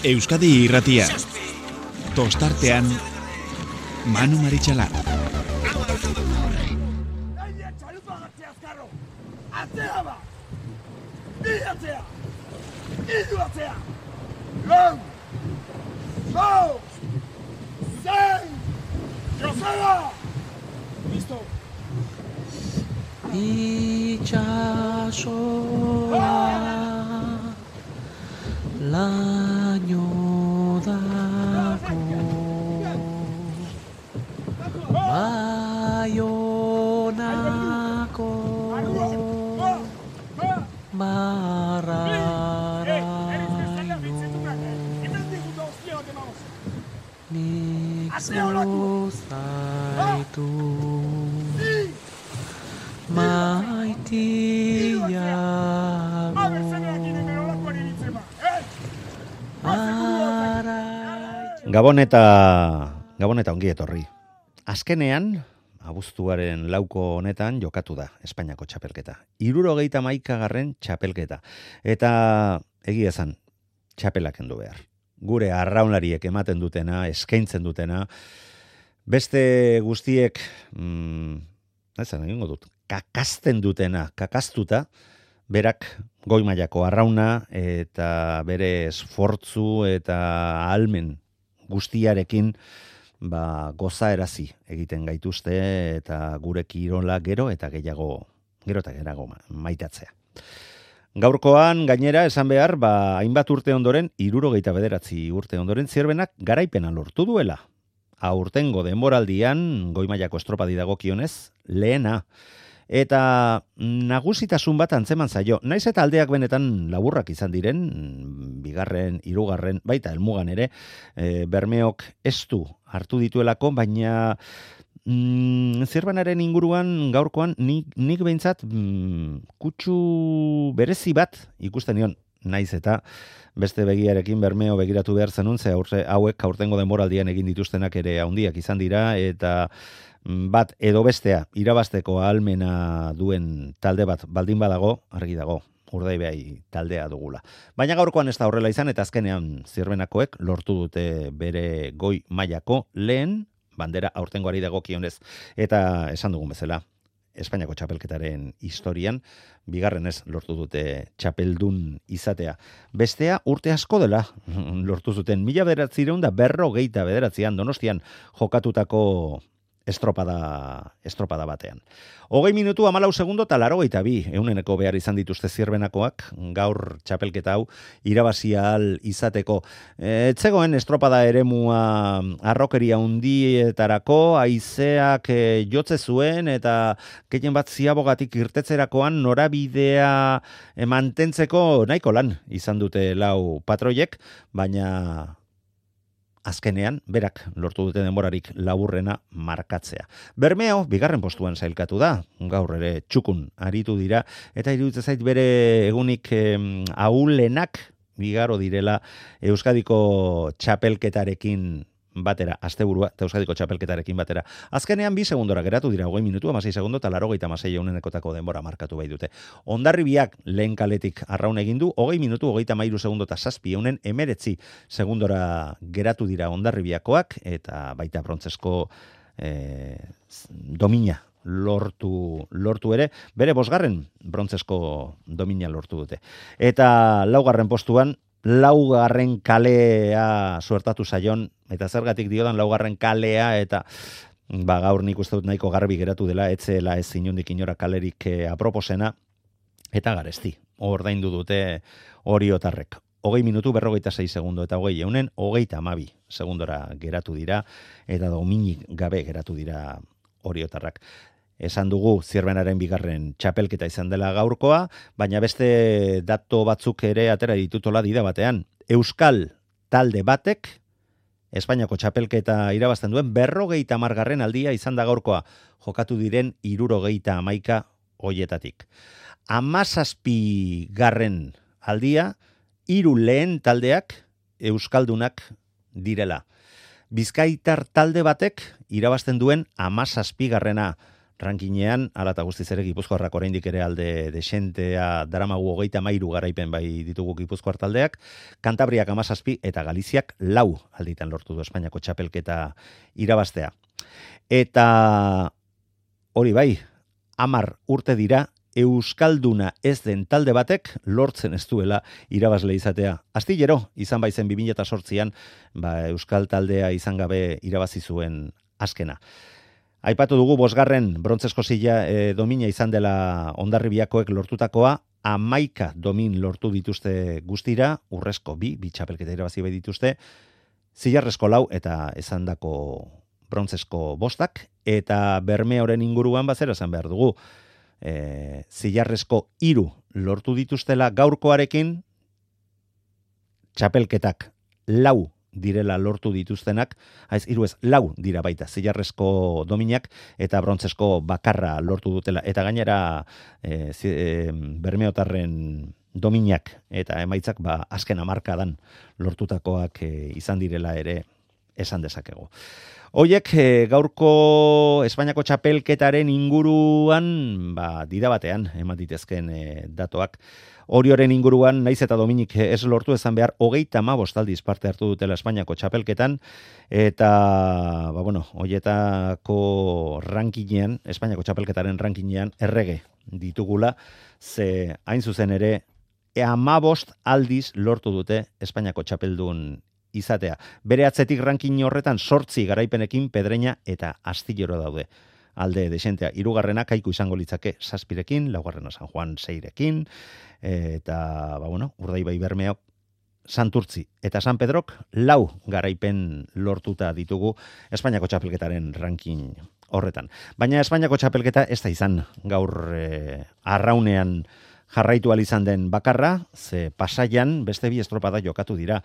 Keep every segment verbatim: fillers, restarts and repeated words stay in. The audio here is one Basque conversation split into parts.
Euskadi Irratia. Tostartean Manu Maritxalar. Atzea ba! Bi atzea! Idu atzea! Lau! Lau! Zein! Joseba! Listo! Itxasoa laino dago Baionako marraraino nik zuzaitu maitiago Gabon eta Gabon eta ongi etorri. Azkenean, abuztuaren lauko honetan jokatu da Espainiako txapelketa. Hirurogeita hamaikagarren txapelketa. Eta egia esan, txapelak kendu behar. Gure arraunlariek ematen dutena, eskaintzen dutena, beste guztiek, mm, ezan egingo dut, kakazten dutena, kakaztuta, berak goi mailako arrauna eta bere esfortzu eta ahalmen guztiarekin ba, gozaerazi egiten gaituzte eta gure kirola gero eta gehiago gero eta gehiago maitatzea. Gaurkoan gainera esan behar, ba, hainbat urte ondoren, hirurogeita bederatzi urte ondoren Zierbenak garaipena lortu duela. Aurtengo denboraldian goi mailako estropadi dagokionez lehena. Eta nagusitasun bat antzeman zaio. Naiz eta aldeak benetan laburrak izan diren, bigarren, hirugarren, baita helmugan ere, e, Bermeok ez du hartu dituelako, baina mm, Zierbenaren inguruan gaurkoan nik, nik behintzat mm, kutsu berezi bat ikusten nion. Naiz eta beste begiarekin Bermeo begiratu behar zenun, ze aurre, hauek aurtengo denboraldian egin dituztenak ere handiak izan dira, eta bat edo bestea irabazteko ahalmena duen talde bat baldin badago, argi dago, Urdaibai taldea dugula. Baina gaurkoan ez da horrela izan, eta azkenean Zierbenakoek lortu dute bere goi mailako lehen bandera aurtengoari dagokionez. Eta esan dugun bezala, Espainiako txapelketaren historian, bigarrenez lortu dute txapeldun izatea. Bestea urte asko dela lortu zuten, mila bederatziehun eta berrogeita bederatzian Donostian jokatutako estropada, estropada batean. Hogei minutu hamalau segundo eta laurogeita bi euneneko behar izan dituzte Zierbenakoak gaur txapelketa hau irabazi ahal izateko. Etzegoen estropada eremua arrokeria hundietarako, haizeak e, jotze zuen eta gehien bat ziabogatik irtetzerakoan norabidea e, mantentzeko nahiko lan izan dute lau patroiek, baina azkenean, berak lortu dute denborarik laburrena markatzea. Bermeo, bigarren postuan sailkatu da, gaur ere txukun aritu dira, eta iruditzen zait bere egunik eh, ahulenak bigaro direla Euskadiko txapelketarekin batera, asteburua eta Euskadiko txapelketarekin batera. Azkenean bi segundora geratu dira, hogei minutu, hamasei segundo eta laurogeita hamasei eunenekotako denbora markatu bai dute. Hondarribiak lehen kaletik arraun egin du, hogei minutu, hogeita hamairu segundo eta zazpi eunen emeretzi segundora geratu dira Hondarribiakoak, eta baita brontzesko eh, domina lortu, lortu ere, bere bosgarren brontzesko domina lortu dute. Eta laugarren postuan, laugarren kalea suertatu zaion, eta zergatik diodan laugarren kalea, eta ba, gaur nik uste dut nahiko garbi geratu dela, etzela ez inundik inora kalerik eh, aproposena, eta garesti, ordaindu dute oriotarrek. Hogei minutu berrogeita sei segundo, eta hogei eunen, hogeita hamabi segundora geratu dira, eta dominik gabe geratu dira oriotarrak. Esan dugu Zierbenaren bigarren txapelketa izan dela gaurkoa, baina beste dato batzuk ere atera ditutola dida batean. Euskal talde batek Espainiako txapelketa irabazten duen berrogeita hamargarren aldia izan da gaurkoa, jokatu diren hirurogeita hamaika hoietatik. Hamazazpi garren aldia, hiru lehen taldeak euskaldunak direla. Bizkaitar talde batek irabazten duen hamazazpigarrena. rankinean, ala eta guztiz ere Gipuzkoarrak oraindik ere alde desentea daramagu hogeita hamairu garaipen bai ditugu Gipuzkoar taldeak, Kantabriak hamazazpi eta Galiziak lau alditan lortu du Espainiako txapelketa irabaztea. Eta hori bai, hamar urte dira, Euskalduna ez den talde batek lortzen ez duela irabazle izatea. Astillero, izan baizen bi mila zortzian, ba, Euskal taldea izan gabe irabazi zuen azkena. Aipatu dugu bosgarren brontzesko zila e, domina izan dela Hondarribiakoek lortutakoa, hamaika domin lortu dituzte guztira, urrezko bi, bi txapelketa irabazi bai dituzte, zilarrezko lau eta esandako brontzesko bostak, eta Bermeoren inguruan bazera esan behar dugu. E, zilarrezko hiru lortu dituztela gaurkoarekin, txapelketak lau direla lortu dituztenak, haiz hiru ez lau dira baita zilarrezko dominak eta brontzesko bakarra lortu dutela, eta gainera e, zi, e, Bermeotarren dominak eta emaitzak ba, azken hamarkadan lortutakoak e, izan direla ere esan dezakegu. Hoiek e, gaurko Espainiako txapelketaren inguruan ba, dida batean eman ditezken e, datoak. Orioren inguruan, naiz eta Dominik ez lortu ezan behar, hogeita hamabost aldiz parte hartu dutela Espainiako txapelketan, eta, ba, bueno, hoietako rankinean, Espainiako txapelketaren rankinean, errege ditugula, ze hain zuzen ere, hamabost aldiz lortu dute Espainiako txapeldun izatea. Bere atzetik rankin horretan sortzi garaipenekin Pedreña eta Astillero daude. Alde desentea, hirugarrena Kaiku izango litzake zazpirekin, laugarrena San Juan seirekin, eta, ba, bueno, Urdaibai Bermeok Santurtzi eta San Pedrok lau garaipen lortuta ditugu Espainiako txapelketaren ranking horretan. Baina Espainiako txapelketa ez da izan gaur eh, arraunean jarraitu izan den bakarra, ze Pasaian beste bi estropada jokatu dira.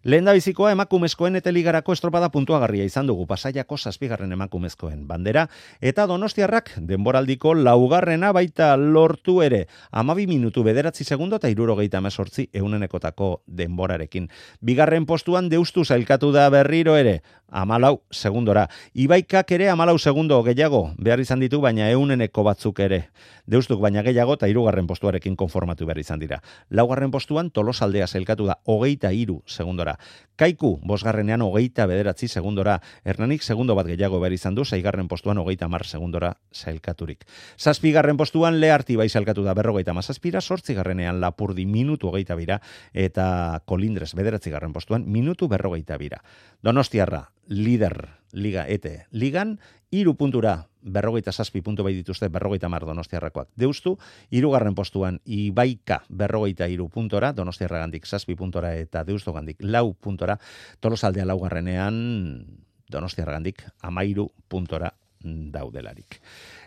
Lehendabizikoa emakumezkoen eta ligarako estropada puntuagarria izan dugu, Pasaiako zazpigarren emakumezkoen bandera, eta Donostiarrak denboraldiko laugarrena baita lortu ere, hamabi minutu bederatzi segundo eta hirurogeita hemezortzi ehunenekotako denborarekin. Bigarren postuan Deustu sailkatu da berriro ere, hamalau segundora. Ibaikak ere hamalau segundo gehiago behar izan ditu, baina ehuneneko batzuk ere. Deustuk baina gehiago eta hirugarren postuarekin konformatu behar izan dira. Laugarren postuan Tolosaldea sailkatu da hogeita hiru segundora. Kaiku bosgarrenean hogeita bederatzi segundora. Hernanik segundo bat gehiago behar izan du, seigarren postuan hogeita hamar segundora sailkaturik. Zazpigarren postuan Learti bai sailkatu da berrogeita hamazazpira, zortzigarrenean Lapurdi minutu hogeita bira, eta Kolindres bederatzigarren postuan minutu berrogeita bira. Donostiarra, lider liga ete ligan, hiru puntura berrogeita zazpi puntu bai dituzte berrogeita hamar Donostiarrakoak. Deustu, hirugarren postuan Ibaika berrogeita hiru puntora, Donostiarragandik zazpi puntora eta Deustogandik lau puntora, Tolosaldea laugarrenean Donostiarragandik hamairu puntora daudelarik.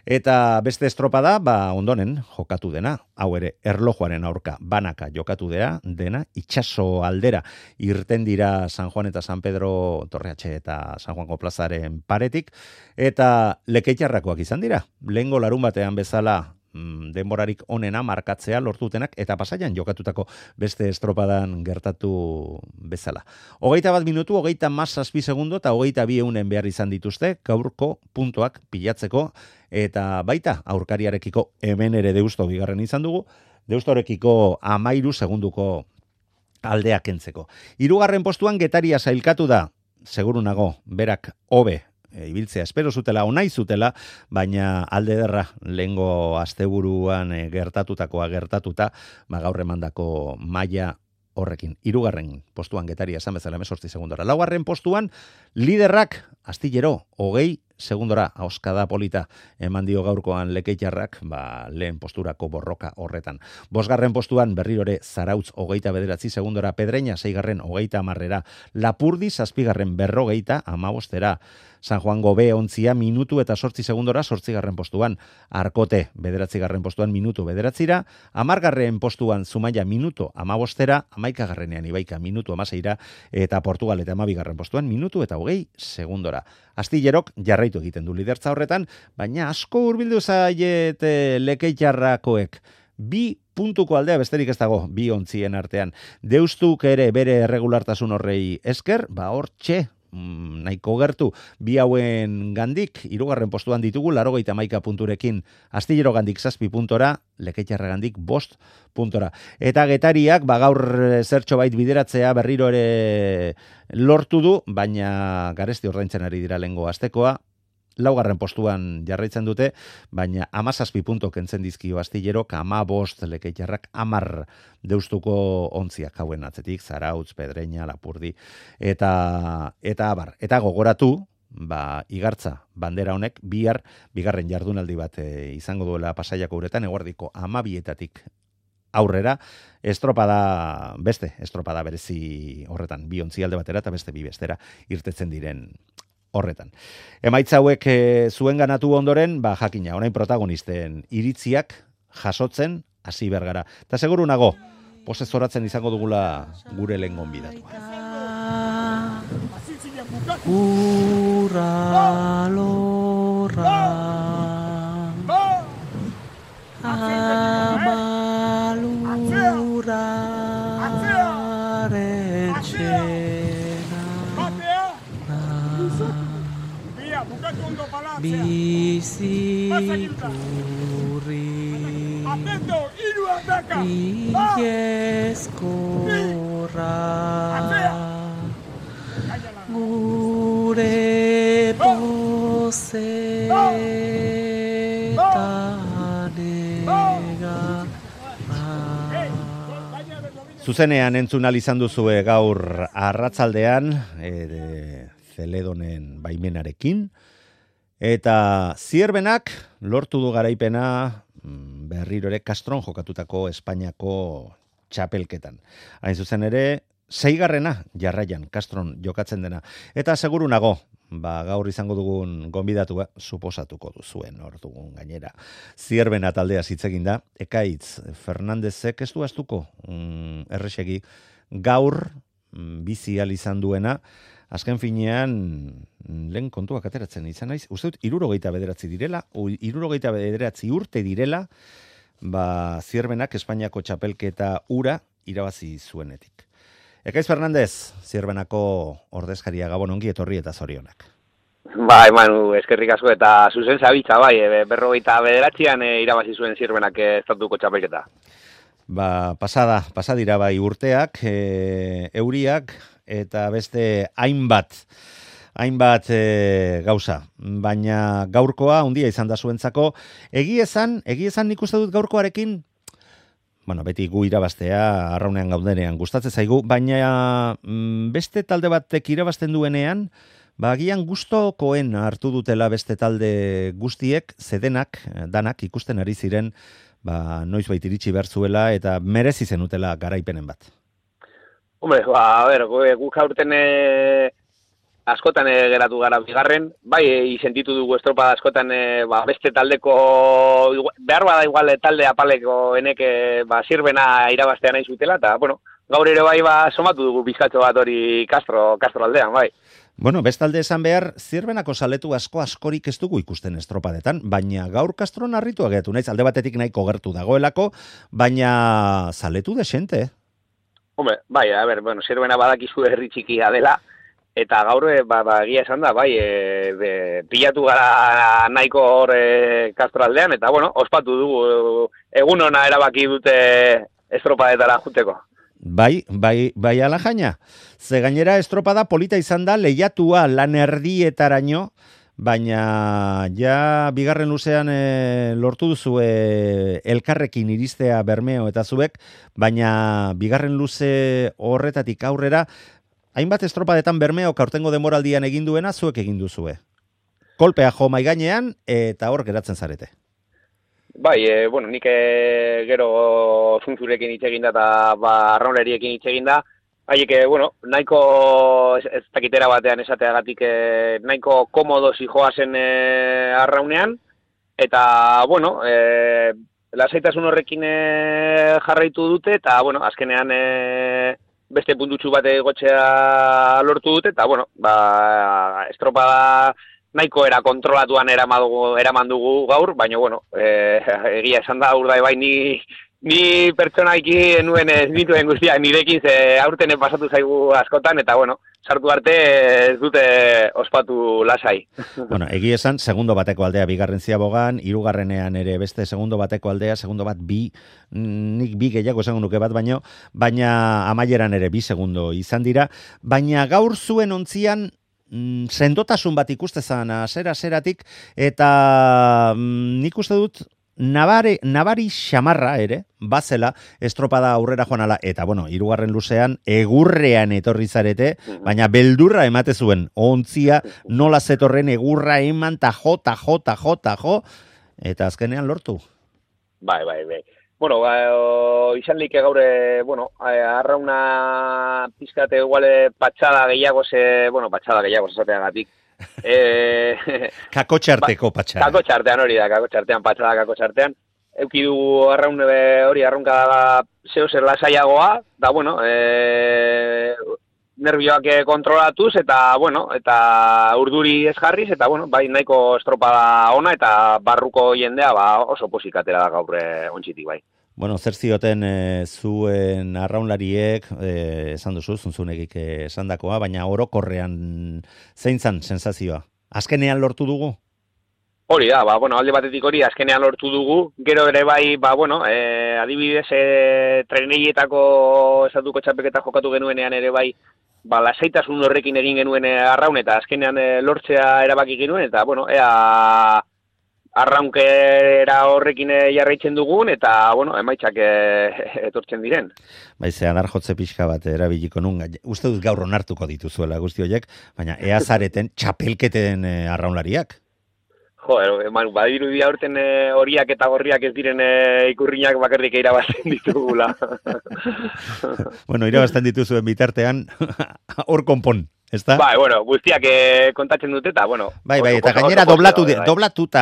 Eta beste estropada, ba ondonen jokatu dena, hau ere erlojuaren aurka banaka jokatu dela, dena, itxaso aldera irten dira San Juan eta San Pedro Torreatxe eta San Juango plazaren paretik, eta Lekeitarrakoak izan dira. Lehengo larun batean bezala denborarik onena markatzea lortutenak eta Pasaian jokatutako beste estropadan gertatu bezala. Hogeita bat minutu, hogeita mazazpi segundo eta hogeita bi eunen behar izan dituzte gaurko puntuak pilatzeko, eta baita aurkariarekiko hemen ere Deusto bigarren izan dugu, Deustorekiko amairu segunduko aldeak kentzeko. Hirugarren postuan Getaria sailkatu da, seguru nago, berak hobe E, ibiltzea espero zutela, onai zutela, baina alde derra lehengo asteburuan e, gertatutakoa gertatuta, ba, gaur emandako maila horrekin. Hirugarren postuan Getaria esan bezala hemezortzi segundora. Laugarren postuan liderrak Astillero hogei segundora, auskada polita eman dio gaurkoan Lekeitarrak, ba, lehen posturako borroka horretan. Bosgarren postuan berrirore Zarautz hogeita bederatzi segundora, Pedreña seigarren hogeita hamarrera, Lapurdi zazpigarren berrogeita hamabostera, San Juango B ontzia minutu eta sortzi segundora, sortzigarren postuan, Arkote bederatzigarren postuan minutu bederatzira, hamargarren postuan Zumaia minutu hamabostera, hamaikagarrenean Ibaika minutu hamaseira, eta Portugal eta hamabigarren postuan minutu eta hogei segundora. Astillerok jarraitu egiten du lidertza horretan, baina asko hurbildu zaiet Lekeitarrakoek. Bi puntuko aldea besterik ez dago, bi ontzien artean. Deustuk ere bere erregulartasun horrei esker, ba hor txe, mm, nahiko gertu, bi hauen gandik, hirugarren postuan ditugu, laurogeita hamaika punturekin, Astillero gandik zazpi puntora, Lekeitarra gandik bost puntora. Eta Getariak, ba, gaur zertxo bait bideratzea berriro ere lortu du, baina garesti ordaintzen ari dira lehengo astekoa, laugarren postuan jarraitzen dute, baina hamazazpi punto kentzen dizkio Astillerok, ama bost Lekeitarrak hamar deustuko ontziak hauen atzetik, Zarautz, Pedreña, Lapurdi, eta eta abar, eta gogoratu, ba, igartza bandera honek bihar bigarren jardunaldi bat e, izango duela Pasaiako uretan, eguerdiko hamabietatik aurrera, estropada, beste estropada berezi horretan, bi ontzialde batera eta beste bi bestera irtetzen diren horretan. Emaitza hauek e, zuen ganatu ondoren, ba, jakina, orain protagonisten iritziak jasotzen hasi bergara. Eta seguru nago, posez zoratzen izango dugula gure lehen gonbidatua. Urra lorra amalura biziturri ieskorra gure pozetanega. Zuzenean entzun ahal izan duzue gaur arratzaldean, e, Zeledonen baimenarekin, eta Zierbenak lortu du garaipena berriro ere Castron jokatutako Espainiako txapelketan. Hain zuzen ere, seigarrena jarraian Castron jokatzen dena. Eta seguru nago, ba, gaur izango dugun gonbidatua, suposatuko duzuen hor dugun gainera. Zierbena taldea hitz egin da, Ekaitz Fernandezek ez du astuko mm, errexegi gaur mm, bizi ahal izan duena, azken finean lehen kontuak ateratzen izan naiz, uste dut hirurogeita bederatzi direla, hirurogeita bederatzi urte direla, ba, Zierbenak Espainiako txapelketa ura irabazi zuenetik. Ekaitz Fernandez, Zierbenako ordezkaria, Gabon, ongi etorri eta zorionak. Bai, Manu, eskerrik asko eta zuzen zabitza, bai, berrogeita bederatzean e, irabazi zuen Zierbenak estatuko txapelketa. Ba, pasada, pasadira bai urteak, e, euriak, eta beste hainbat, hainbat e, gauza. Baina gaurkoa, handia izan da zuentzako, egiezan, egiezan nik uste dut gaurkoarekin, bueno, beti gu irabaztea, arraunean gaudenean gustatzen zaigu, baina mm, beste talde batek irabazten duenean, ba, agian gustokoen hartu dutela beste talde guztiek, zedenak, danak ikusten ari ziren, ba, noiz bait iritsi behar zuela, eta merezi zenutela garaipenen bat. Hombre, ba, a ber, guk aurten e, askotan e, geratu gara bigarren, bai, e, sentitu dugu estropada askotan e, ba, beste taldeko, behar bada igual talde apaleko eneke ba, Zierbena irabaztea nahi zutela, eta, bueno, gaur ere bai, ba, somatu dugu bizkatxo bat hori Castro, Castro aldean, bai. Bueno, bestalde esan behar, Zierbenako zaletu asko askorik ez dugu ikusten estropadetan, baina gaur Castron harritu agetu naiz, alde batetik nahiko gertu dagoelako, baina zaletu desente. Hombre, bai, a ber, bueno, Zierbena badakizu herri txikia dela, eta gaur, ba, ba, egia esan da, bai, e, be, pilatu gara nahiko hor e, Castro aldean, eta, bueno, ospatu dugu, egun ona erabaki dute estropadetara juteko. Bai, bai, bai ala jaina. Ze gainera estropada polita izan da lehiatua lan erdietaraino, baina ja bigarren luzean e, lortu duzu e, elkarrekin iristea Bermeo eta zuek, baina bigarren luze horretatik aurrera, hainbat estropadetan Bermeo aurtengo demoraldian egin duena zuek egin duzue. Kolpea jo mai gainean eta hor geratzen zarete. Bai, e, bueno, nik e, gero zuntzurekin hitz egin da eta ba, arrauneriekin hitz egin da. Haiek, bueno, nahiko ez, ez dakitera batean esateagatik e, nahiko komodo zijoazen e, arraunean. Eta, bueno, e, lasaitasun horrekin e, jarraitu dute eta, bueno, azkenean e, beste puntutxu bat egotzea lortu dute. Eta, bueno, ba, estropada nahiko era kontrolatuan eraman dugu, eraman dugu gaur, baina, bueno, e, egia esan da urdai bai ni Ni pertsonaiki nuen ez dituen guztiak nirekin ze aurten pasatu zaigu askotan, eta bueno, sartu arte ez dute ospatu lasai. Bueno, egi esan, segundo bateko aldea bigarren ziabogan, hirugarrenean ere beste segundo bateko aldea, segundo bat bi, nik bi gehiago esango nuke bat baino, baina amaieran ere bi segundo izan dira, baina gaur zuen ontzian mm, sendotasun bat ikustezan asera-aseratik, eta mm, nik uste dut Nabare, nabari xamarra ere, bazela, estropada aurrera joan ala, eta bueno, hirugarren luzean, egurrean etorri zarete, baina beldurra emate zuen, ontzia, nola zetorren egurra eman, ta jo, ta jo, ta jo, ta jo, eta azkenean lortu. Bai, bai, bai. Bueno, ba, o, izan like gaure, bueno, arrauna pizkate iguale patxada gehiago ze, bueno, patxada gehiago esateagatik. Eh, kakotxarteko patxada. Kakotxartean hori da, kakotxartean, patxada kakotxartean. Euki du arraun hori arraunka da zeo zer lasaiagoa, da bueno, e, nervioak kontrolatuz, eta bueno, eta urduri ez jarriz, eta bueno, bai nahiko estropada ona, eta barruko jendea ba, oso posikatera da gaur ontzitik bai. Bueno, zer zioten e, zuen arraunlariek, e, esan duzu, zunzunegik esandakoa, baina orokorrean zein zan sensazioa? Azkenean lortu dugu? Hori da, ba, bueno, alde batetik hori azkenean lortu dugu, gero ere bai, ba, bueno, e, adibidez, e, treneietako estatuko txapelketa jokatu genuenean ere bai, ba, lasaitasun horrekin egin genuen arraun, eta azkenean e, lortzea erabaki genuen, eta, bueno, ea arraunkera horrekin jarraitzen dugun, eta, bueno, emaitzak e, etortzen diren. Bai, ze adar jotze pixka bat erabiliko nun, uste dut gaur onartuko dituzuela guzti horiek, baina ea zareten txapelketen e, arraunlariak. Jo, Manu, badiru dia aurten horiak eta gorriak ez diren e, ikurriak bakarrik irabazten ditugula. Bueno, irabazten dituzuen bitartean, hor konpon. Ezta? Bai, bueno, guztiak eh, kontatzen dute eta, bueno... Bai, bai, eta gainera doblatu, doblatuta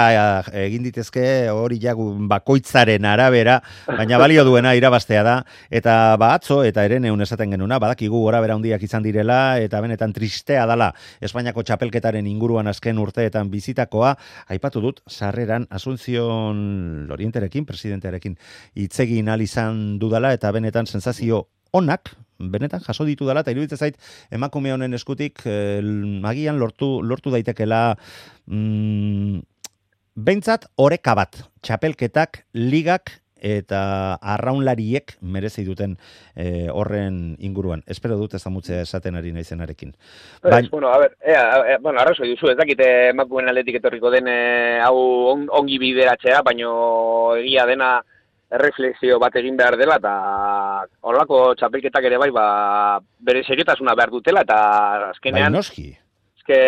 egin ditezke hori jagu bakoitzaren arabera, baina balio duena irabaztea da, eta ba atzo, eta eren egun esaten genuna, badakigu gorabera handiak izan direla, eta benetan tristea dala Espainiako txapelketaren inguruan azken urteetan bizitakoa, aipatu dut, sarreran Asunción Lorienterekin, presidentearekin, hitzegin ahal izan dudala, eta benetan sensazio onak, benetan jaso ditu dela, eta iruditzen zait emakume honen eskutik eh, agian lortu, lortu daitekela mm, behintzat oreka bat, txapelketak, ligak eta arraunlariek merezi duten eh, horren inguruan. Espero dut ez amutzea esaten ari naizenarekin. Baina, bueno, a ver, ea, ea, bueno, arrazo duzu, ez dakite emakumeen aldetik etorriko den eh, hau on, ongi bideratzea, baino egia dena erreflexio bat egin behar dela, eta horrelako txapelketak ere bai, ba, bere seriotasuna behar dutela, eta azkenean... Bai, noski. Ezke,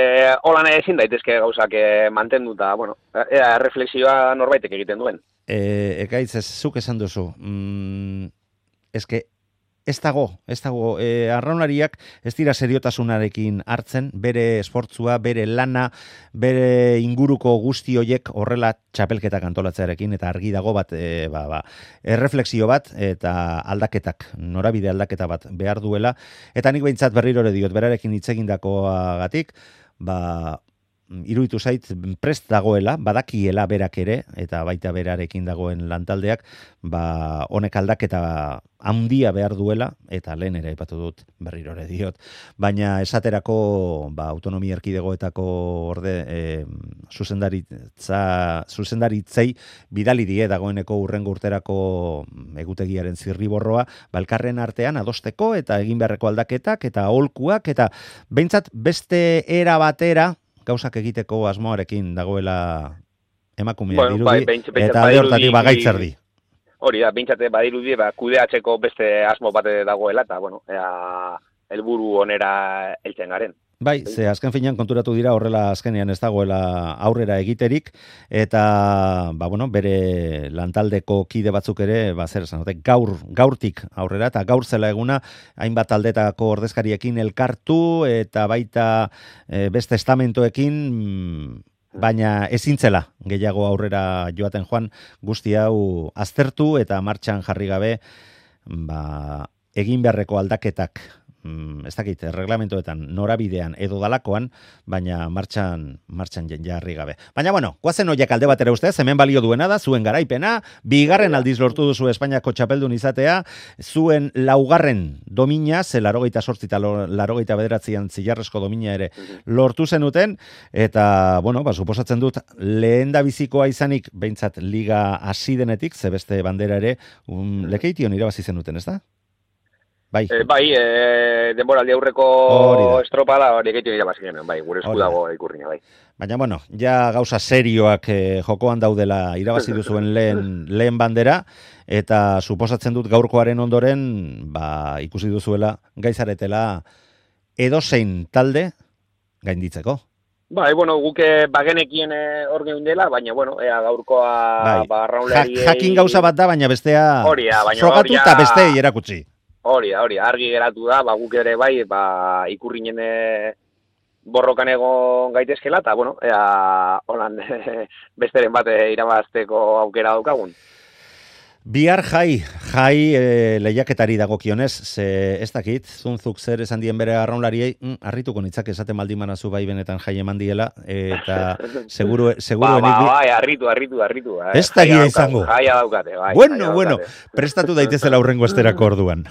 holan ezin daitezke gauzak mantenduta, bueno, ea erreflexioa norbaitek egiten duen. E, ekaitz, ez zuk esan duzu, mm, ezke, ez dago, ez dago, e, arraunlariak ez dira seriotasunarekin hartzen, bere esportzua, bere lana, bere inguruko guzti hoiek horrela txapelketak antolatzearekin, eta argi dago bat, e, ba, ba, erreflexio bat, eta aldaketak, norabide aldaketa bat behar duela, eta nik behintzat berriro ere diot, berarekin hitzegindakoagatik, ba, iruditu zait prest dagoela, badakiela berak ere, eta baita berarekin dagoen lantaldeak, ba, honek aldaketa handia behar duela, eta lehen ere aipatu dut berriro ere diot, baina esaterako ba, autonomia erkidegoetako orde e, zuzendaritza, zuzendaritzei bidali die dagoeneko urrengo urterako egutegiaren zirriborroa, balkarren artean adosteko eta egin beharreko aldaketak eta aholkuak, eta behintzat beste era batera gauzak egiteko asmoarekin dagoela emakumea bueno, dirudi, bai, beintz, beintz, eta alde hortatik bagaitzerdi. Hori da, bintzate badirudi, ba, kudeatzeko beste asmo bate dagoela, eta, bueno, ea, helburu onera heltzen garen. Bai, ze azken finean konturatu dira horrela azkenean ez dagoela aurrera egiterik, eta ba, bueno, bere lantaldeko kide batzuk ere, ba, zer esan, gaur, gaurtik aurrera, eta gaur zela eguna, hainbat taldetako ordezkariekin elkartu, eta baita e, beste estamentoekin, baina ezintzela gehiago aurrera joaten joan, guzti hau aztertu eta martxan jarri gabe, ba, egin beharreko aldaketak mm, ez dakit, reglamentoetan, norabidean edo dalakoan, baina martxan, martxan jarri gabe. Baina, bueno, guazen horiek alde batera ustez, hemen balio duena da, zuen garaipena, bigarren aldiz lortu duzu Espainiako txapeldun izatea, zuen laugarren domina, ze larogeita sortzi eta larogeita bederatzian zilarrezko domina ere lortu zenuten, eta, bueno, ba, suposatzen dut, lehen da bizikoa izanik, behintzat liga hasi denetik, ze beste bandera ere, um, lekeition irabazi zenuten, ez da? Bai, E, bai, e, denboraldi aurreko Hori da. estropada hori egiten irabazi genuen, bai, gure esku Hori da. dago ikurrina, bai. baina, bueno, ja gauza serioak eh, jokoan daudela irabazi duzuen lehen, lehen bandera, eta suposatzen dut gaurkoaren ondoren, ba, ikusi duzuela, gaizaretela edozein talde gainditzeko. Bai, bueno, guke bagenekien eh, hor geundela, baina, bueno, ea gaurkoa Bai, ba, ja, arraunlariei... jakin gauza bat da, baina bestea Hori da, baina frogatu hori eta da- besteei erakutsi. Hori da, hori da, argi geratu da, ba, guk ere bai, ba, ikurrinen eh, borrokan egon gaitezkela, eta, bueno, ea, holan, besteren bat eh, irabazteko aukera daukagun. Bihar jai, jai e, lehiaketari dagokionez, ze ez dakit, zunzuk zer esan dien bere arraunlariei, mm, harrituko nitzak esaten maldimanazu bai benetan jai eman diela, eta seguru, seguru Ba, ba, enik- bai, arritu, arritu, arritu. Eh. Ez da Jaia egia daukagu, izango. Jaia daukate, bai. Bueno, jaia bueno, daukate. prestatu daitezela aurrengo esterako orduan.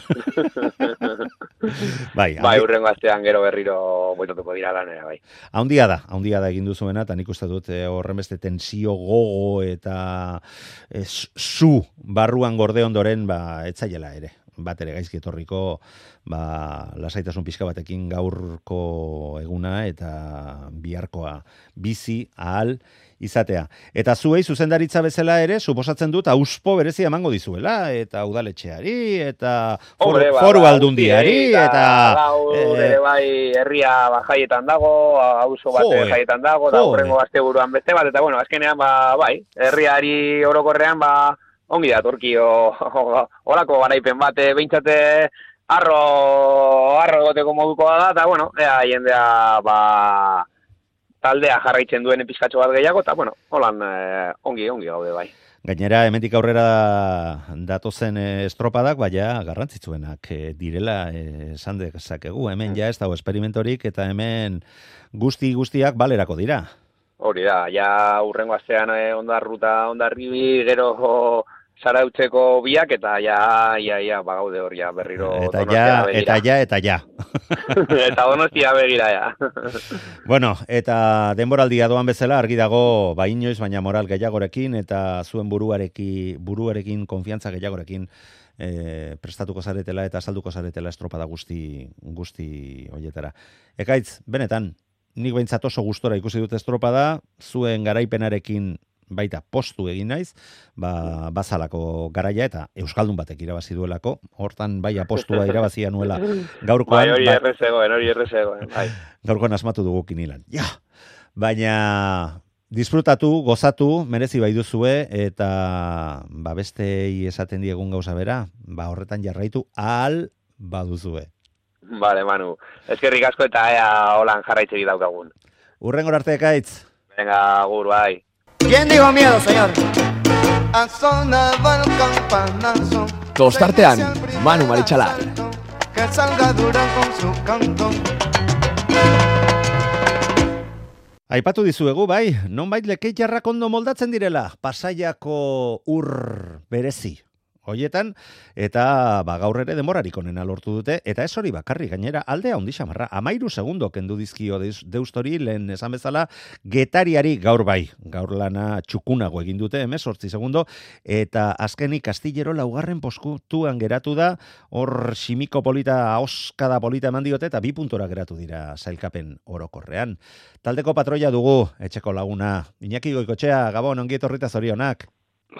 bai, Bai, handi- urrengo astean gero berriro boitatuko dira lanera, bai. haundia da, haundia da egin duzuena, eta nik uste dut eh, horren beste tensio gogo eta eh, zu barruan gorde ondoren, ba, etzaiela ere. Bat ere gaizki etorriko, ba, lasaitasun pixka batekin gaurko eguna eta biharkoa bizi ahal izatea. Eta zuei zuzendaritza bezala ere, suposatzen dut, auspo berezia emango dizuela, eta udaletxeari, eta foru, Hombre, ba, foru ba, aldundiari, guztiei, eta... gaur eh, ere bai herria ba, jaietan dago, auzo bat Joe, jaietan dago, eta joe. urrengo asteburuan beste bat, eta bueno, azkenean ba, bai, herriari orokorrean ba, ongi da, Turkio, horako garaipen bat, behintzate arro, arro egoteko moduko da, eta bueno, ea jendea, ba, taldea jarraitzen duen pizkatxo bat gehiago, eta bueno, holan eh, ongi, ongi gaude bai. Gainera, hemendik aurrera datozen eh, estropadak, baina garrantzitsuenak eh, direla eh, esan dezakegu. Hemen ja ez dago esperimentorik, eta hemen guzti guztiak balerako dira. Hori da, ja urrengo astean eh, ondarruta, ondarribi, gero zarautzeko biak, eta ja, ja, ja, bagaude hor, ja, berriro Eta ja, Donostiara begira. eta ja, eta ja. Eta Donostia begira, ja. Bueno, eta denboraldia doan bezala argi dago, ba inoiz, baina moral gehiagorekin, eta zuen buruareki, buruarekin, konfiantza gehiagorekin eh, prestatuko zaretela eta salduko zaretela estropada guzti, guzti hoietara. Ekaitz, benetan, nik behintzat oso gustora ikusi dut estropada, zuen garaipenarekin baita postu egin naiz, ba, bazalako garaia eta Euskaldun batek irabazi duelako, hortan bai apostua irabazia nuela gaurkoan, Bai, hori ba- errezegoen, hori errezegoen, bai. gaurkoan asmatu dugu kinilan. Ja, baina disfrutatu, gozatu, merezi bai duzue, eta ba, bestei esaten diegun gauza bera, ba, horretan jarraitu ahal baduzue. Vale, Manu. Eskerrik asko eta ea holan jarraitzegi daukagun. Urrengor arte ekaitz. Venga, agur, bai. ¿Quién dijo miedo, señor? Asonaba el campanazo. Tostartean, Manu Marichalar. Que salga Durán con su canto. Aipatu dizuegu, bai, nonbait lekeitarrak ondo moldatzen direla, Pasaiako ur berezi. Hoietan, eta ba, gaur ere demorarik onena lortu dute, eta ez hori bakarri gainera aldea handi xamarra, amairu segundo kendu dizkio deus, deustori, lehen esan bezala, getariari gaur bai, gaur lana txukunago egin dute, hemezortzi segundo, eta azkenik Kastillero laugarren poskutuan geratu da, hor simiko polita, oskada polita eman diote, eta bi puntora geratu dira sailkapen orokorrean. Taldeko patroia dugu, etxeko laguna, Iñaki Goikotxea, Gabon, ongi etorrita zorionak.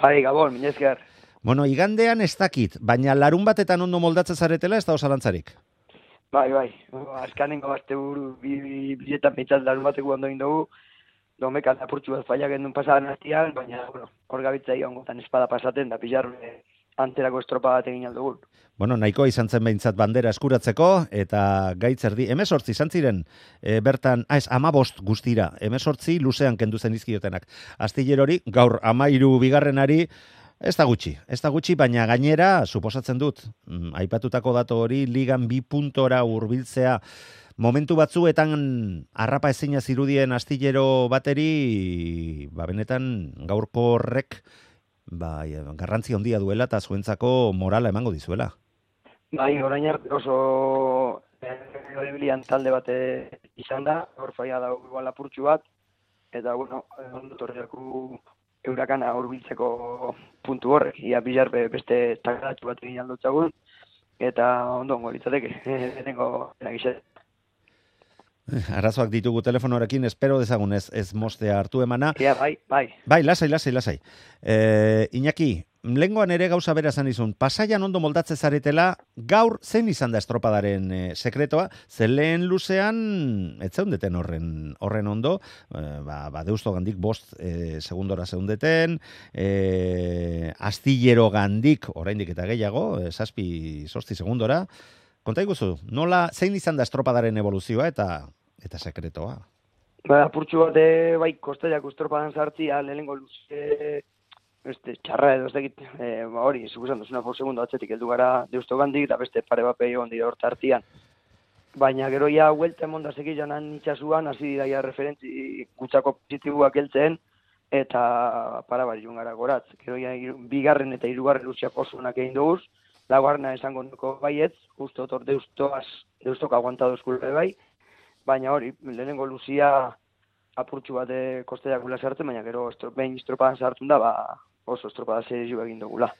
Bai, Gabon, minezker. Bueno, igandean ez dakit, baina larun batetan ondo moldatzen zaretela ez da osalantzarik. Bai, bai. Azkanengo azte buru biletan pintzat larun bateko ondo dugu. Domekan apurtxu bat faiak endun pasadan hastian, baina, bueno, hor gabitza egon gotan espada pasaten, da pixar antzerako estropa bat egin aldugun. Bueno, nahiko izan zen behintzat bandera eskuratzeko, eta gaitzerdi, hemezortzi izan ziren, e, bertan, ah, ez, amabost guztira, hemezortzi luzean kendu zen izkiotenak. Astillerori, gaur amairu bigarrenari, Ez da gutxi, ez da gutxi, baina gainera, suposatzen dut, mm, aipatutako datu hori, ligan bi puntora hurbiltzea momentu batzuetan harrapa ezina zirudien astillero bateri, ba benetan gaurko horrek ba, garrantzi handia duela eta zuentzako morala emango dizuela. Bai, orain arte oso erabilian talde bate izan da, hor faia da igual apurtxu bat, eta bueno, ondo torriaku eurakana hurbiltzeko puntu horrek, ia bilar beste takaratu bat egin aldotzagun, eta ondo ongo litzateke, denengo eragizet. Arazoak ditugu telefonorekin, espero dezagun ez, ez mostea hartu emana. Ja, bai, bai. Bai, lasai, lasai, lasai. E, Iñaki, lengoan ere gauza bera esan izun, Pasaian ondo moldatze zaretela, gaur zein izan da estropadaren e, sekretoa, ze lehen luzean, ez zeundeten horren, horren ondo, e, ba, ba deusto gandik bost e, segundora zeundeten, e, astillero gandik, oraindik eta gehiago, e, zazpi, sosti segundora, konta iguzu, nola, zein izan da estropadaren evoluzioa eta eta sekretoa? Ba, apurtxu bat, bai, kostaiak estropadan sartzia, lehenengo luze, beste, txarra edo ez dakit, e, ba, hori, zukusan duzuna por segundo atzetik heldu gara deusto gandik, eta beste pare bat peio ondira hor tartian. Baina gero ja, huelta emonda segilanan itxasuan, hasi daia referentzi gutxako positibuak heltzen, eta para bari joan gara goratz. Gero ja, bigarren eta hirugarren luziak oso onak egin duguz, laugarrena esango nuko baietz, justo otor deustoaz, deustok aguantado eskulpe bai, baina hori, lehenengo luzia apurtxu bat kosteiak gula sartzen, baina gero estro, behin estropadan sartun da, ba, oso estropada serizio egin dugula.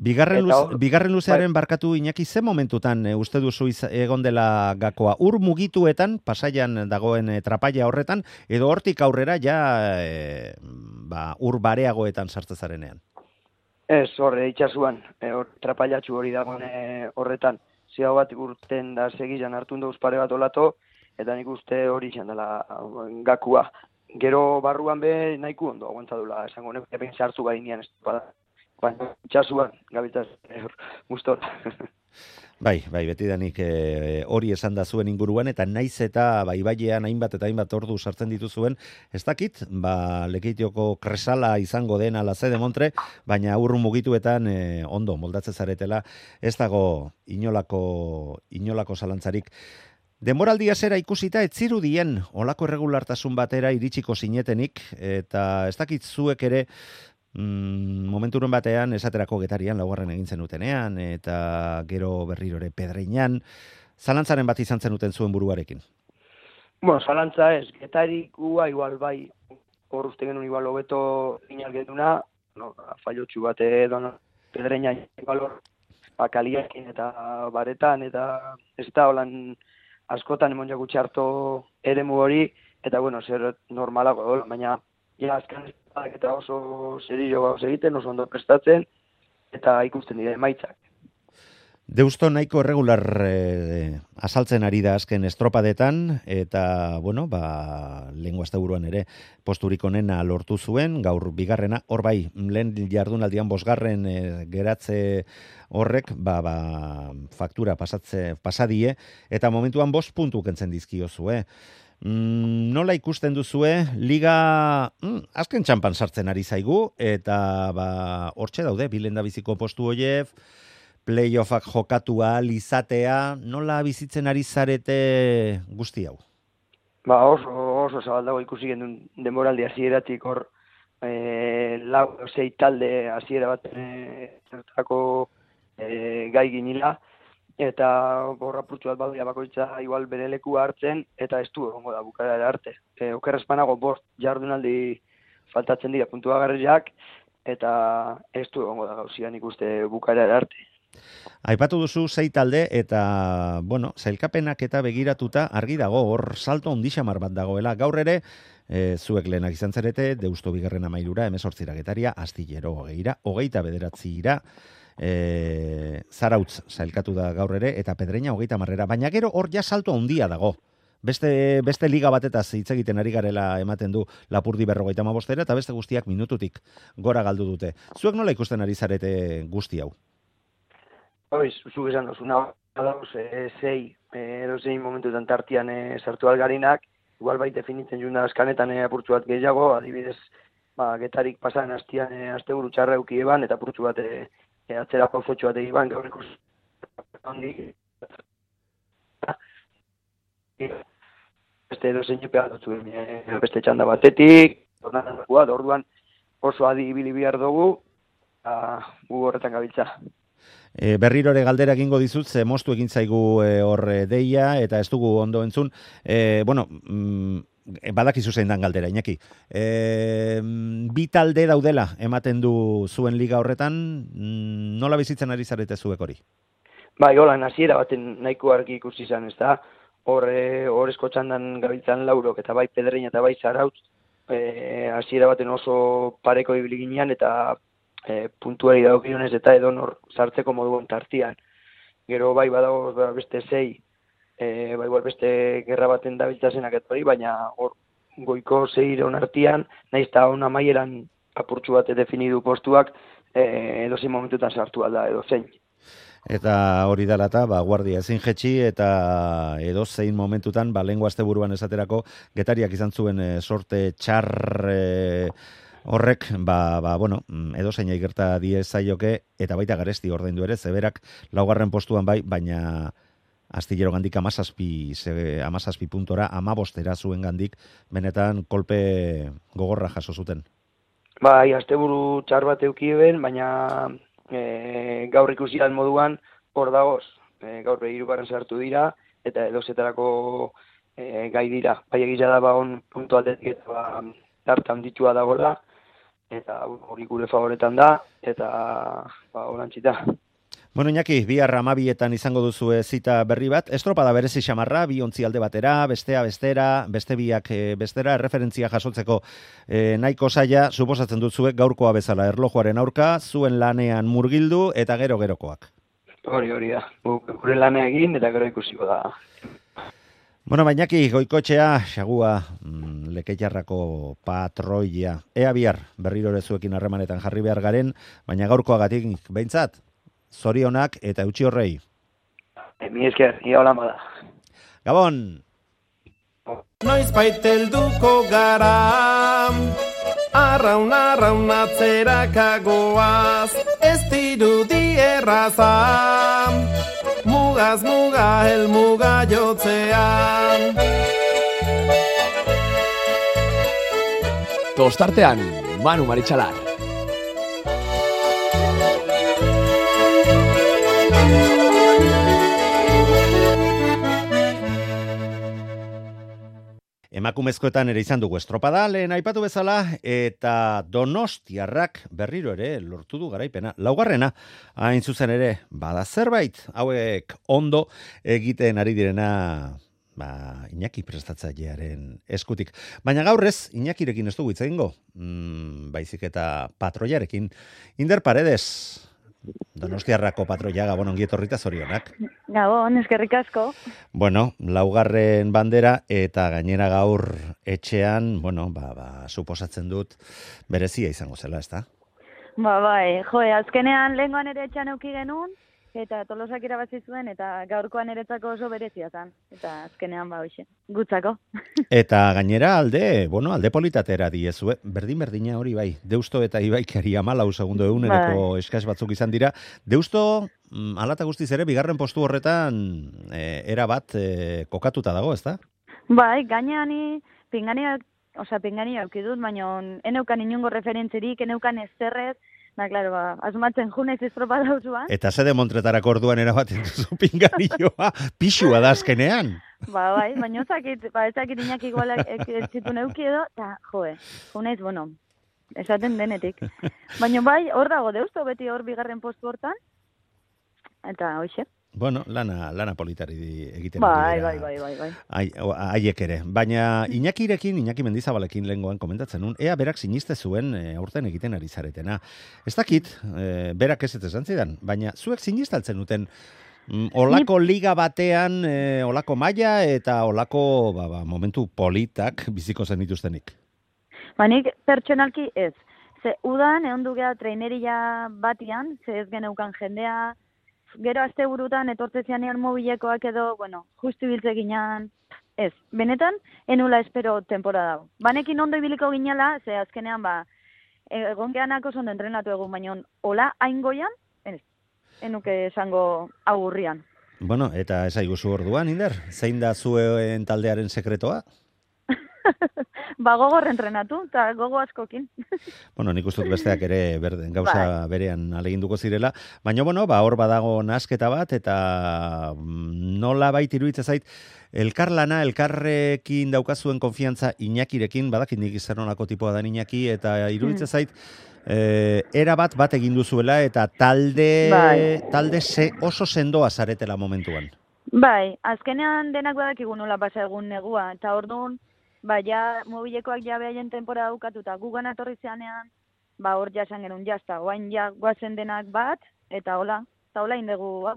Bigarren, luz, or, bigarren luzearen bai. Barkatu Iñaki, ze momentutan e, uste duzu iz, egon dela gakoa? Ur mugituetan, Pasaian dagoen e, trapaia horretan, edo hortik aurrera ja e, ba, ur bareagoetan sartzezarenean? Ez, horre, itxasuan, e, hor, trapaiatxu hori dagoen e, horretan. Ziago bat urten da segilan hartun dauz pare bat olato, eta nik uste hori izan dela gakua. Gero barruan be nahiko ondo aguantadula, esango nek, epen sartu gainean ez bada. Baina itxasuan, gabiltaz, gustor. Bai, bai, betidanik e, hori esan da zuen inguruan, eta naiz eta bai bailean hainbat eta hainbat ordu sartzen dituzuen, ez dakit, ba, Lekeitioko kresala izango den ala ze demontre, baina urru mugituetan e, ondo moldatze zaretela, ez dago inolako, inolako zalantzarik. Denboraldia zera ikusita ez zirudien olako erregulartasun batera iritsiko zinetenik, eta ez dakit zuek ere mm, momenturen batean esaterako Getarian laugarren egin zenutenean, eta gero berriro ere Pedreinan, zalantzaren bat izan zenuten zuen buruarekin? Bueno, zalantza ez, Getarikua igual bai, hor uste genuen igual hobeto inal genduna, no, fallotxu bat edo, no, Pedreina igual hor, bakaliakin eta baretan, eta ez da holan askotan emon jakutxe harto eremu hori, eta bueno, zer normalago dola, baina ja azkan eta oso serio gauz egiten, oso ondo prestatzen, eta ikusten dira emaitzak. Deusto nahiko erregular eh, azaltzen ari da azken estropadetan, eta, bueno, ba, lengua asteburuan ere posturik onena lortu zuen, gaur bigarrena, hor bai, lehen jardunaldian bosgarren eh, geratze horrek, ba, ba, faktura pasatze, pasadie, eta momentuan bost puntu kentzen dizkiozue. Mm, nola ikusten duzue, liga mm, azken txampan sartzen ari zaigu, eta ba, hortxe daude, bilenda biziko postu hoief, playoffak jokatu ahal izatea, nola bizitzen ari zarete guzti hau? Ba, oso, oso zabaldago ikusi gendun denboraldi hasieratik hor e, lau zei talde hasiera bat e, zertako e, gai ginila, eta borra purtsu bat baduia bakoitza igual bere lekua hartzen, eta ez du egongo da bukaera arte. E, okerrezpanago bost jardunaldi faltatzen dira puntua garriak, eta ez du egongo da gauzian ikuste bukaera arte. Aipatu duzu sei talde eta, bueno, zailkapenak eta begiratuta argi dago, hor salto ondixamar bat dagoela. Gaur ere, e, zuek lehenak izan zarete, Deusto bigarren amairura, emezortzira Getaria, Astillero hogeira, hogeita bederatzira, e, Zarautz zailkatu da gaur ere, eta Pedreina hogeita marrera. Baina gero hor ja salto handia dago. Beste, beste liga batetaz hitz egiten ari garela ematen du Lapurdi berrogeita hamabostera, eta beste guztiak minututik gora galdu dute. Zuek nola ikusten ari zarete guzti hau? Hoiz, zuk esan dozuna, dauz, e, zei, edo zein momentuetan tartian e, sartu algarinak, igual bai definitzen juna askanetan e, apurtzu bat gehiago, adibidez, ba, getarik pasan hastian e, asteburu txarra euki eban, eta purtsu bat e, e, atzera pauzotxo bat egiban, gaur ikus handik. Beste edo zein jepea dutzu, e, beste txanda batetik, orduan oso adi ibili behar dugu, gu horretan gabiltza. E, berrirore galdera egingo dizut, ze moztu egin zaigu e, hor e, deia, eta ez dugu ondo entzun. E, bueno, mm, badakizu zein dan galdera, Iñaki. E, bi talde daudela ematen du zuen liga horretan, mm, nola bizitzen ari zarete zuek hori? Bai, hola, hasiera baten nahiko argi ikusi izan, ez da? Hor, e, hor eskotxandan gabiltzan laurok, eta bai Pedrein eta bai Zarautz, e, hasiera baten oso pareko ibili ginean, eta e, puntuari dagokionez eta edonor sartzeko moduan tartian. Gero bai badago beste sei, e, bai beste gerra baten dabiltzasenak eta hori, baina hor goiko zeiron artian, nahiz eta hona maieran apurtxu bat definidu postuak, e, edozein momentutan sartu alda edo zein. Eta hori dela eta, ba, guardia ezin jetxi, eta edo zein momentutan, ba, lehengo asteburuan esaterako, Getariak izan zuen e, sorte txar e, horrek, ba, ba, bueno, edo zein gerta die zaioke, eta baita Garesti ordaindu ere, zeberak laugarren postuan bai, baina astillero gandik amazazpi, amazazpi puntora, amabostera zuen gandik, benetan kolpe gogorra jaso zuten. Bai, asteburu txar bat eukien, baina E, gaur ikusian moduan hor dagoz, e, gaur hirugarren sartu dira eta edozetarako e, gai dira. Bai egia da ba on puntu aldetik eta ba tartan ditua dagoela eta hori gure favoretan da eta ba holantzita. Bueno, Iñaki, bihar hamabietan izango duzu zita berri bat. Estropada berezi xamarra, bi ontzi alde batera, bestea bestera, beste biak e, bestera, erreferentzia jasotzeko e, nahiko zaila, suposatzen dutzuek gaurkoa bezala erlojuaren aurka, zuen lanean murgildu eta gero-gerokoak. Hori, hori da. Gure lanea egin eta gero ikusiko da. Bueno, Iñaki, goikotxea, xagua, mm, Lekeiarrako patroia. Ea bihar, berriro ere zuekin harremanetan jarri behar garen, baina gaurkoagatik behintzat, zorionak eta eutxi horrei. Mi esker, ia hola bada. Gabon! Noiz baitelduko gara, arraun arraun atzerakagoaz, ez dirudi erraza, mugaz muga helmuga jotzean. Tostartean, Manu Maritxalar. Emakumezkoetan ere izan dugu estropada, lehen aipatu bezala, eta Donostiarrak berriro ere lortu du garaipena. Laugarrena, hain zuzen ere, bada zerbait, hauek ondo egiten ari direna, ba, Iñaki prestatzailearen eskutik. Baina gaurrez, Iñakirekin ez dugu hitz egingo, mm, baizik eta patroiarekin. Inder Paredes, Donostiarrako patroia, Gabon ongi etorrita zorionak. Gabon, eskerrik asko. Bueno, laugarren bandera eta gainera gaur etxean, bueno, ba, ba, suposatzen dut berezia izango zela, ezta? Ba, bai, joe, azkenean lehengoan ere etxean euki genuen, eta Tolosak irabazi zuen, eta gaurkoan eretzako oso berezia zen. Eta azkenean ba hoxe, gutzako. Eta gainera alde, bueno, alde politatera diezue, berdin-berdina hori bai, Deusto eta Ibaikari hamalau segundo eguneroko bai. Eskas batzuk izan dira. Deusto, alata guztiz ere, bigarren postu horretan e, era bat e, kokatuta dago, ezta? Bai, gainean pingani, osea, pingani aukidut, baina eneukan inungo referentzirik, eneukan ezerrez, ba, klaro, ba, asumatzen junez estropada hauzuan. Eta zede Montretarako orduan erabaten duzu pinganioa, pixua da azkenean. Ba, bai, baina ezakit, ba, ezakit Iñaki igual ez zitu neuki edo, eta, joe, junez, bueno, esaten denetik. Baina bai, hor dago Deusto, beti hor bigarren postu hortan, eta hoxe. Bueno, lana, lana politari egiten bai, bai, bai, bai, bai. Haiek ere. Baina Iñakirekin, Iñaki Mendizabalekin lehengoan komentatzen nun, ea berak siniste zuen e, aurten egiten ari zaretena. Ez dakit, e, berak ez ez esan zidan, baina zuek sinistaltzen duten mm, olako liga batean, e, olako maila eta olako ba, ba, momentu politak biziko zen dituztenik. Ba, nik pertsonalki ez. Ze udan, egon dugea traineria batian, ze ez geneukan jendea, gero azte burutan etortzezianean mobilekoak edo, bueno, justu biltze ginean, ez. Benetan, enula espero temporada dago. Banekin ondo ibiliko ginela, ze azkenean, ba, egon geanak oso ondo entrenatu egun, baina hola hain goian, ez, enuke esango agurrian. Bueno, eta esaiguzu orduan, Inder, zein da zuen taldearen sekretoa? Ba, gogor entrenatu, eta gogo askokin. Bueno, nik ustut besteak ere berden, gauza Bai. berean aleginduko zirela, baina bueno, ba hor badago nasketa bat eta nola bait iruditzen zait elkarlana, elkarrekin daukazuen konfiantza Iñakirekin, badakit nik zer nolako tipoa da Iñaki eta iruditzen zait eh, era bat bat egin duzuela eta talde Bai. talde se, oso sendoa zaretela momentuan. Bai, azkenean denak badakigu nola pasa egun negua, eta orduan, ba, ja, mobilekoak ja behaien temporada dukatuta, gugan atorri zeanean, ba, hor jasan genuen jazta, oain ja guazen denak bat, eta hola, eta hola indegu, hau.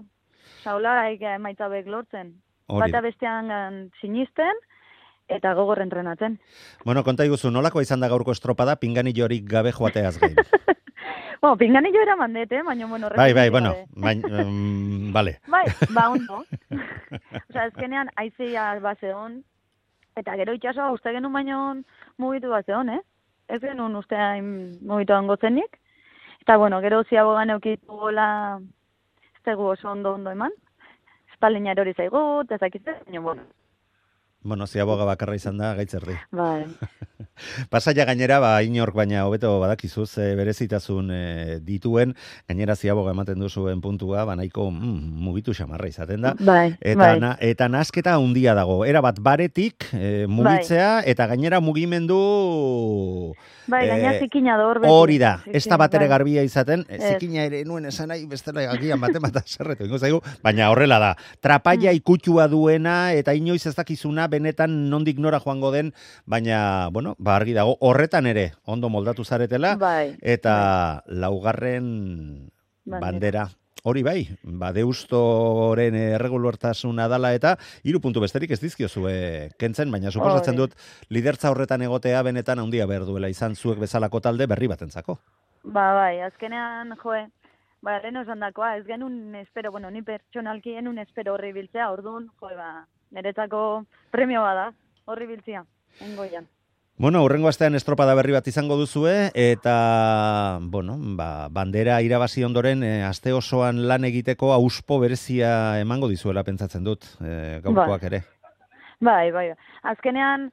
Eta hola, emaitza bek lortzen. Hori da. Bata bestean sinisten, eta gogor entrenatzen. Bueno, konta iguzu, nolako izan da gaurko estropada, pinganillorik gabe joateaz gain. Bueno, pinganillo eraman dut, eh? Baina, bueno, Bai, bai, repetitu bueno, gabe. baina, um, vale. Bai, ba, ondo. Osa, ezkenean, aizea bazeon, eta gero itxasoa uste genuen baino mugitu bazeon, eh? Ez genuen uste hain mugitu zenik. Eta, bueno, gero ziabogan eukitu gola, ez dugu oso ondo ondo eman. Espalina erori zaigu, eta zakizte, baina, bueno. Bueno, ziaboga bakarra izan da, gaitzerdi. Bai. Pasaia gainera, ba, inork baina hobeto badakizuz e, berezitasun e, dituen, gainera ziaboga ematen duzuen puntua, ba, nahiko mm, mugitu xamarra izaten da. Bai, eta, bai. Na, eta nasketa handia dago, era bat baretik e, mugitzea, eta gainera mugimendu... Bai, gaina eh, zikina da hor beti. Hori da, ez da Zikin, bat ere bai. garbia izaten, e, Ez. zikina ere nuen esan nahi, bestela agian baten bat zerretu, ingo zaigu, baina horrela da, trapaia ikutua duena, eta inoiz ez dakizuna, benetan nondik nora joango den, baina, bueno, ba argi dago, horretan ere, ondo moldatu zaretela, Bai, eta laugarren Bandera. bandera. Hori bai, ba, deustoren erregulartasuna dala eta hiru puntu besterik ez dizkiozue kentzen, baina suposatzen Hori. dut lidertza horretan egotea benetan handia behar duela izan zuek bezalako talde berri batentzako. Ba, bai, azkenean, joe, ba, lehen osan dakoa, ez genuen espero, bueno, ni pertsonalki genuen espero horri biltzea, orduan, joe, ba, niretzako premio bada, horri biltzea, engoian. Bueno, hurrengo astean estropada berri bat izango duzue, eta, bueno, ba, bandera irabazi ondoren, e, aste osoan lan egiteko auspo berezia emango dizuela pentsatzen dut, e, gaurkoak ere. Bai, bai, azkenean,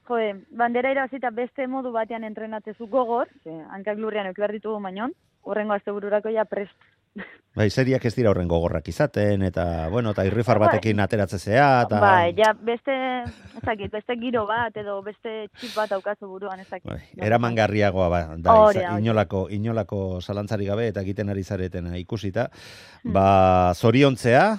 joe, bandera irabazita beste modu batean entrenatzezu gogor, ze, hankak lurrean euki behar ditugu mainon, hurrengo aste bururako ja prest. Bai, seriak ez dira horren gogorrak izaten, eta, bueno, eta irrifar batekin ateratzezea, eta... Bai, ja, beste, ezakit, beste giro bat, edo beste txip bat aukazu buruan, ezakit. Bai, eramangarriagoa ba, da, Hori iza- da, hori. inolako, inolako zalantzari gabe eta egiten ari zaretena ikusita, Hmm. ba, zoriontzea,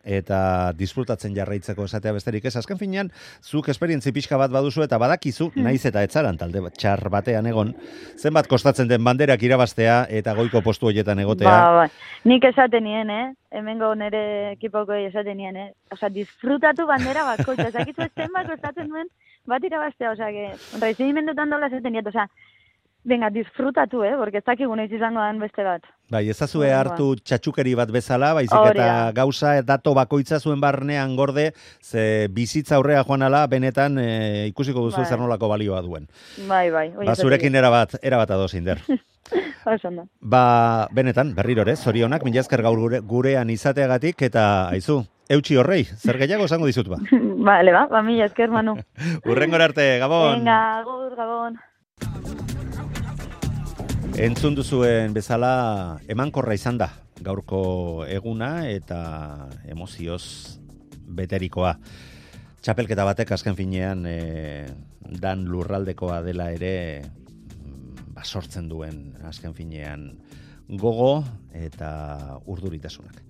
eta disfrutatzen jarraitzeko esatea besterik ez. Azken finean, zuk esperientzi pixka bat baduzu eta badakizu, Hmm. naiz eta etzaran talde bat- txar batean egon, zenbat kostatzen den banderak irabaztea eta goiko postu horietan egotea. Ba, bai. Nik esaten nien, eh? Hemengo nere ekipoko esaten nien, eh? Osa, disfrutatu bandera bakoitza. Ezakizu ez zenbat kostatzen duen bat irabaztea. Osa, que, reizimendutan dola esaten niet. Osa, venga, disfrutatu, eh? Porque ez dakigu noiz izango dan beste bat. Bai, ezazue Ba. hartu txatxukeri bat bezala, baizik Hori eta da. gauza dato bakoitza zuen barnean gorde, ze bizitza aurrea joan ala, benetan e, ikusiko duzu Bai. zer nolako balioa duen. Bai, bai. hori Ba, esaten zurekin dit. erabat, erabat ados, Inder. Oso ondo. Ba, benetan, berriro ere, zorionak, mila esker gaur gure, gurean izateagatik, eta aizu, eutxi horrei, zer gehiago esango dizut ba. Vale, ba, ba, mila esker, Manu. Urrengora arte, Gabon! Venga, agur, Gabon. Entzun duzuen bezala emankorra izan da gaurko eguna eta emozioz beterikoa. Txapelketa batek azken finean e, dan lurraldekoa dela ere mm, ba, sortzen duen azken finean gogo eta urduritasunak.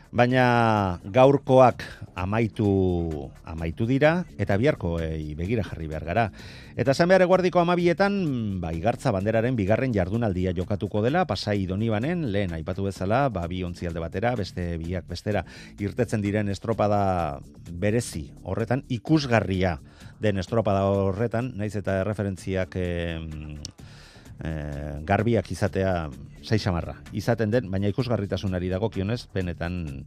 Baina gaurkoak amaitu amaitu dira eta biharkoei begira jarri behar gara. Eta esan behar eguardiko amabietan, ba, igartza banderaren bigarren jardunaldia jokatuko dela, Pasai Donibanen, lehen aipatu bezala, ba, bi ontzialde batera, beste biak bestera, irtetzen diren estropada berezi horretan, ikusgarria den estropada horretan, naiz eta referentziak... Eh, e, garbiak izatea sei samarra izaten den, baina ikusgarritasunari dagokionez benetan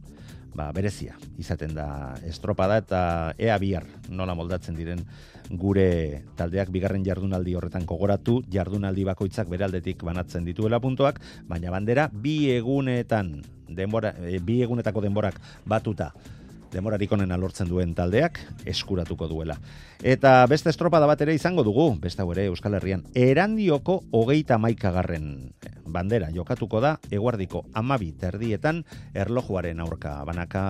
ba, berezia izaten da estropada eta ea bihar nola moldatzen diren gure taldeak bigarren jardunaldi horretan gogoratu, jardunaldi bakoitzak beraldetik banatzen dituela puntuak, baina bandera bi egunetan denbora, e, bi egunetako denborak batuta denborarik onena lortzen duen taldeak eskuratuko duela. Eta beste estropada bat ere izango dugu, beste hau ere Euskal Herrian, Erandioko hogeita hamaikagarren bandera jokatuko da, eguardiko hamabi terdietan erlojuaren aurka banaka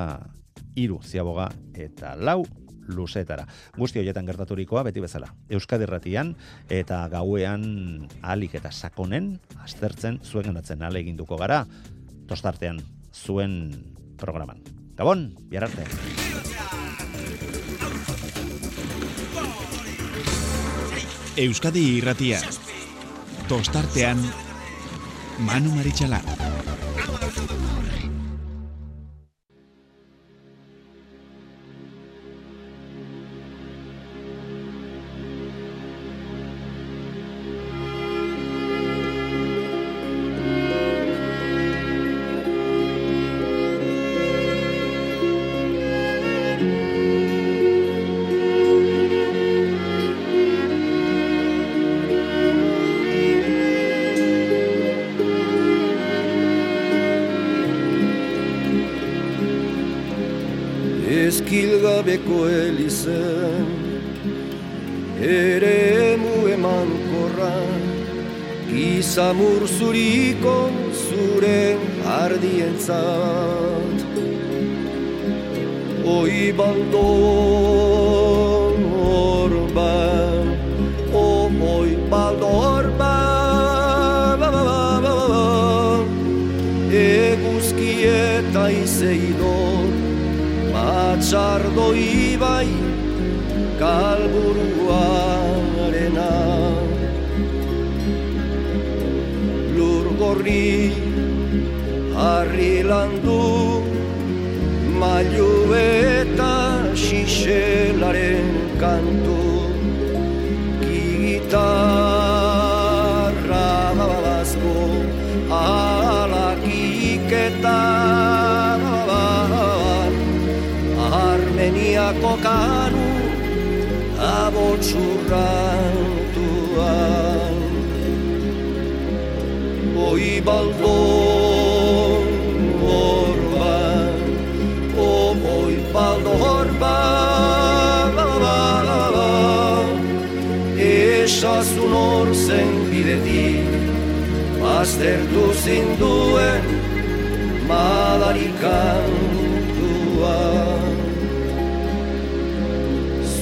hiru ziaboga eta lau luzetara. Guzti horietan gertaturikoa beti bezala. Euskadi Irratian eta gauean ahalik eta sakonen aztertzen zuen gendatzen ahaleginduko gara tostartean zuen programan. Gabon, bihar arte. Euskadi Irratia. Tostartean Manu Maritxalar. Eskilgabeko elizen ere emu emankorra gizamur zuriko zure ardientzat oi baldor ba o oi baldor ba eguzki eta izeidor Atxardo ibai kalburuarena Lur gorri harri landu mailu eta xixelaren kantu gitarra bazko alakik eta Armeniako kanu abotxurrantuan Oi baldor orban O oi baldor orban Esazun hor zen bidetik Baztertu zinduen madarikantuan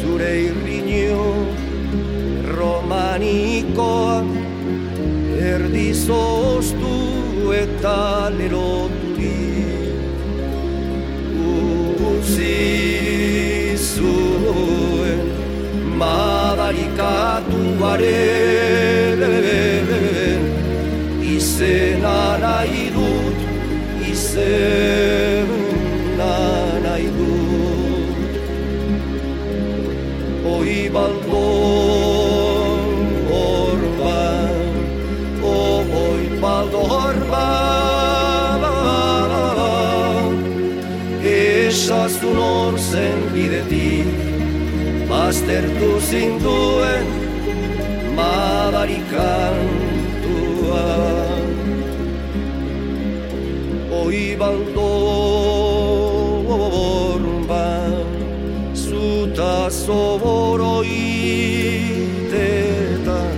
Zure irriño romanikoa erdizoztu eta leroturik utzi zuen madarikatuaren izena nahi dut, izena nahi dut. Oi baldor orban, oi baldor orban, esazun hor zen bidetik, baztertu zinduen madarikantuan. Oi baldor orban, zuta zoboroitetan,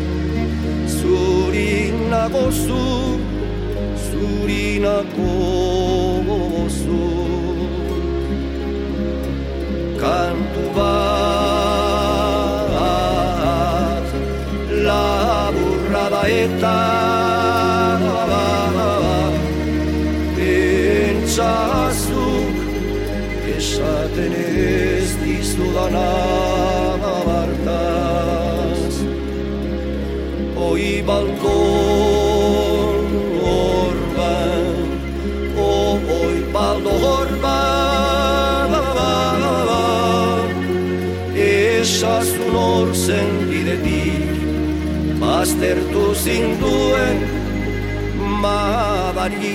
zurinako zu, zurinako zu. Kantu bat, laburra da eta pentsazuk esaten ez dizudana bartaz. Oi baldor orban, oi baldor orban, esazun hor zen bidetik, baztertu zinduen madarikatua.